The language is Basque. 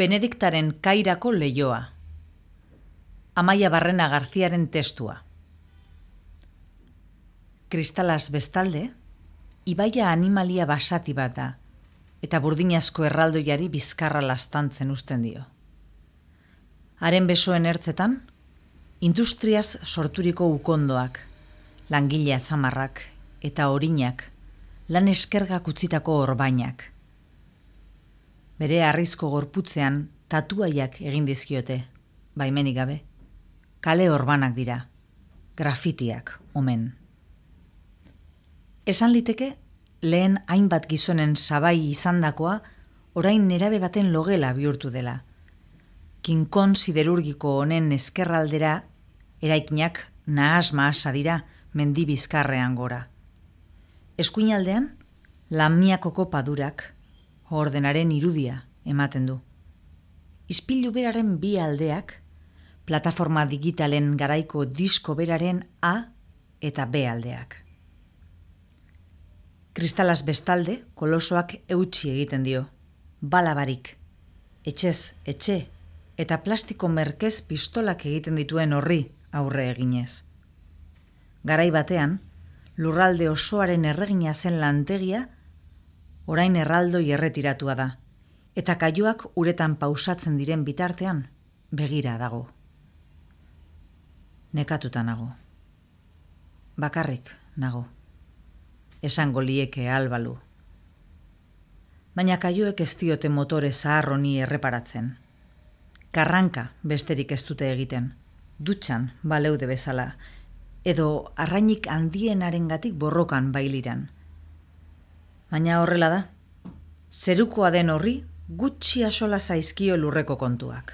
Benediktaren Kairako Leioa. Amaia Barrena Garziaren testua. Kristalaz bestalde, ibaia animalia basati bat da, eta burdinazko erraldoiari bizkarra lastantzen uzten dio. Haren besoen ertzetan, industriaz sorturiko ukondoak, langile atzamarrak eta orinak, lan eskergak utzitako orbainak. Bere harrizko gorputzean tatuaiak egin dizkiote, baimenik gabe. Kale orbanak dira, grafitiak omen. Esan liteke, lehen hainbat gizonen sabai izandakoa orain nerabe baten logela bihurtu dela. Kinkon siderurgiko honen ezkerraldera, eraikinak nahas-mahasa dira mendi bizkarrean gora. Eskuinaldean, lamiakoko padurak, ordenaren irudia ematen du. Ispilu beraren bi aldeak, plataforma digitalen garaiko disko beraren A eta B aldeak. Kristalaz bestalde, kolosoak eutsi egiten dio, balabarik, etxez etxe eta plastiko merkez pistolak egiten dituen horri aurre eginez. Garai batean, lurralde osoaren erregina zen lantegia, orain erraldoi erretiratua da, eta kaioak uretan pausatzen diren bitartean begira dago. Nekatuta nago. Bakarrik nago. Esango lieke albalu. Baina kaioek ez diote motore zahar honi erreparatzen. Karranka besterik ez dute egiten, dutxan baleude bezala, edo arrainik handienarengatik borrokan bailiran. Baina horrela da, zerukoa den horri gutxi axola zaizkio lurreko kontuak.